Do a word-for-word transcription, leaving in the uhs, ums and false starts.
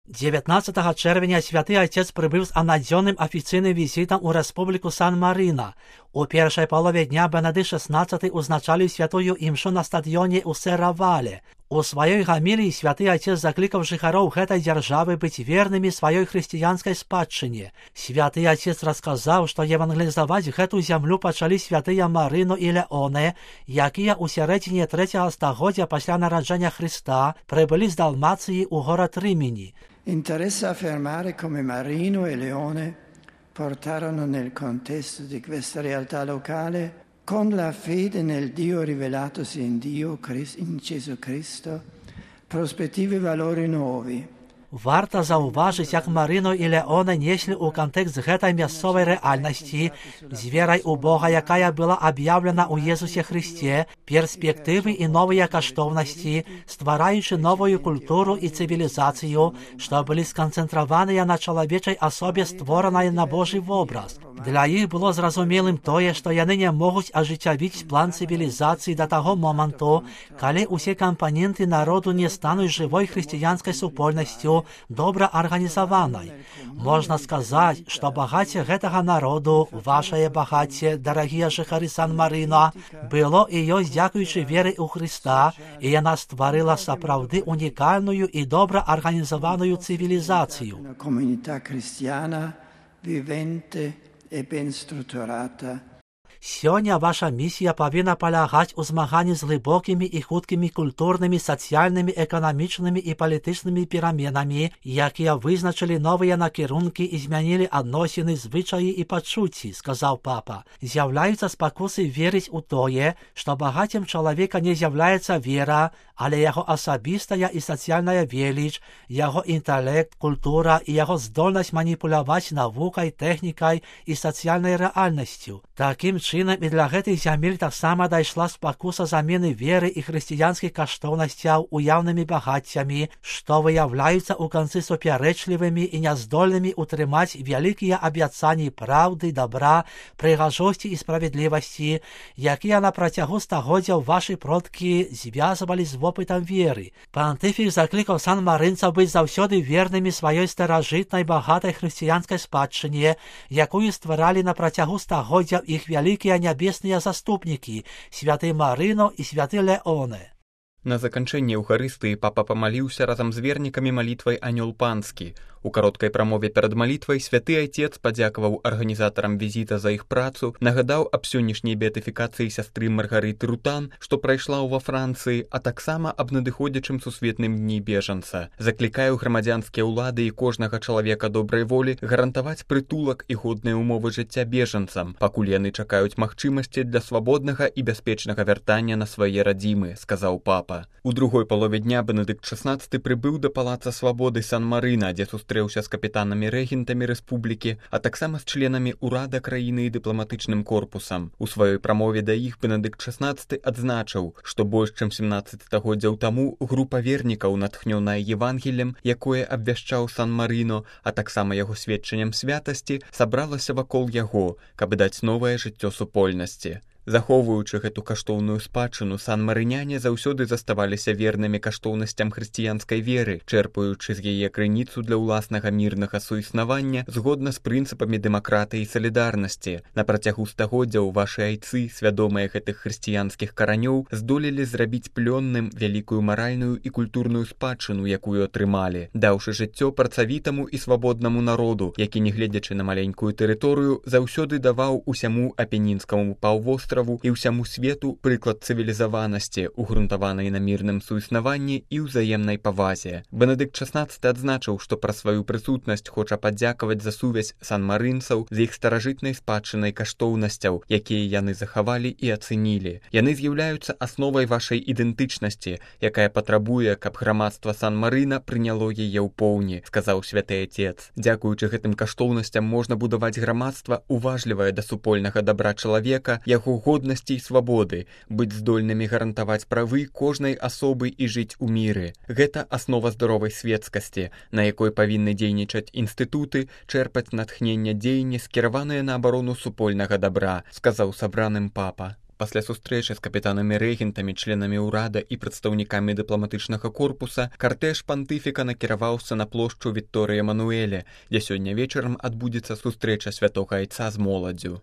девятнадцатого червня Святий Отець прибув з анадзённым афіцыйным візітам у Рэспубліку Сан-Марина. У першай палове дня Бенедикт шестнадцатый узначаліў святую імшу на стадыёне ў Серавале. У сваёй гаміліі Святы Отец заклікаў жыхароў гэтай дзяржавы быць вернымі сваёй хрысціянскай спадчыне. Святы Отец расказаў, што евангелізаваць гэту зямлю пачалі святыя Марыно і Леоне, якія ў сярэдзіне трэцяга стагоддзя пасля нараджэння Хрыста прыбылі з Далмацыі ў горад Рымені. Interessa affermare come Marino e Leone portarono nel contesto di questa realtà locale, con la fede nel Dio rivelatosi in Dio, in Gesù Cristo, prospettive e valori nuovi. Варта заўважыць, як Марыно і Леоне неслі ў кантэкст гэтай мясцовай рэальнасці з верай у Бога, якая была аб'яўлена ў Езусе Хрысце, перспектывы і новыя каштоўнасці, ствараючы новую культуру і цывілізацыю, што былі сканцэнтраваныя на чалавечай асобе, створанай на Божы вобраз. Для іх было зразумелым тое, што яны не могуць ажыццявіць план цывілізацыі да таго моманту, калі ўсе кампаненты народу не стануць жывой хрысціянскай супольнасцю, добра арганізаванай. Можна сказаць, што багацце гэтага народу, вашае багацце, дарагія жыхары Сан-Марина, было і ёсць дзякуючы веры ў Хрыста, і яна стварыла сапраўды унікальную і добра арганізаваную цывілізацыю. Comunità cristiana vivente e ben strutturata. Сёння ваша місія павінна палягаць у змаганні з глыбокімі і хуткімі культурнымі, сацыяльнымі, эканамічнымі і палітычнымі пераменамі, якія вызначылі новыя накірункі і змянілі адносіны, звычаі і пачуцці, сказаў папа. З'яўляюцца спакусы верыць у тое, што багаццем чалавека не з'яўляецца вера, але яго асабістая і сацыяльная веліч, яго інтэлект, культура і яго здольнасць маніпуляваць навукай, тэхнікай і сацыяльнай рэальнасцю. Такім чынам і для гэтых зямель таксама дайшла спакуса замены веры і хрысціянскіх каштоўнасцяў уяўнымі багаццямі, што выяўляюцца ў канцы супярэчлівымі і няздольнымі ўтрымаць вялікія абяцанні праўды, дабра, прыгажосці і справядлівасці, якія на працягу стагоддзяў вашы продкі звязвалі з вопытам веры. Пантыфік заклікаў сан-марынцаў быць заўсёды вернымі сваёй старажытнай багатай хрысціянскай спадчыне, якую стваралі на працягу стагоддзяў іх вялікія нябесныя заступнікі, святы Марыно і святы Леоне. На заканчэнне Еўхарыстыі папа памаліўся разам з вернікамі малітвай «Анёл панскі». У кароткай прамове перад малітвай святы Айцец падзякаваў арганізатарам візіта за іх працу, нагадаў аб сённяшняй беатыфікацыі сястры Маргарыты Рутан, што прайшла ўва Францыі, а таксама аб надыходзячым сусветным дні бежанца. Заклікаю грамадзянскія ўлады і кожнага чалавека добрай волі гарантаваць прытулак і годныя ўмовы жыцця бежанцам, пакуль яны чакаюць магчымасці для свабоднага і бяспечнага вяртання на свае радзімы, сказаў папа. У другой палове дня Бенедикт шестнадцатый прыбыў да палаца свабоды Сан-Марина, дзе сустрэўся з капітанамі-рэгентамі рэспублікі, а таксама з членамі ўрада краіны і дыпламатычным корпусам. У сваёй прамове да іх Бенедикт шестнадцатый адзначыў, што больш чым семнаццаць стагоддзяў таму група вернікаў, натхнёная Евангеллем, якое абвяшчаў Сан-Марino, а таксама яго сведчаннем святасці, сабралася вакол яго, каб даць новае жыццё супольнасці. Захоўваючы гэту каштоўную спадчыну, сан-марыняне заўсёды заставаліся вернымі каштоўнасцям хрысціянскай веры, чэрпаючы з яе крыніцу для ўласнага мірнага суіснавання згодна з прынцыпамі дэмакратыі і салідарнасці. На працягу стагоддзяў вашы айцы, свядомыя гэтых хрысціянскіх каранёў, здолелі зрабіць плённым вялікую маральную і культурную спадчыну, якую атрымалі, даўшы жыццё працавітаму і свабоднаму народу, які, нягледзячы на маленькую тэрыторыю, заўсёды даваў усяму апенінскаму паўвостраву і ўсяму свету прыклад цывілізаванасці, угрунтаванай на мірным суіснаванні і ўзаемнай павазе. Бенедикт шестнадцатый адзначыў, што пра сваю прысутнасць хоча падзякаваць за сувязь сан-марынцаў з іх старажытнай спадчынай каштоўнасцяў, якія яны захавалі і ацэнілі. Яны з'яўляюцца асновай вашай ідэнтычнасці, якая патрабуе, каб грамадства Сан-Марина прыняло яе ў поўні, сказаў святы Айцец. Дзякуючы гэтым каштоўнасцям можна будаваць грамадства, уважлівае да супольнага дабра чалавека, яго годнасці і свабоды, быць здольнымі гарантаваць правы кожнай асобы і жыць у міры. Гэта аснова здаровай светскасці, на якой павінны дзейнічаць інстытуты, чэрпаць натхнення дзеяння, скіраваныя на абарону супольнага дабра, сказаў сабраным папа. Пасля сустрэчы з капітанамі-рэгентамі, членамі ўрада і прадстаўнікамі дыпламатычнага корпуса картэж пантыфіка накіраваўся на плошчу Вікторыя Мануэля, дзе сёння вечарам адбудзецца сустрэча святога айца з моладдзю.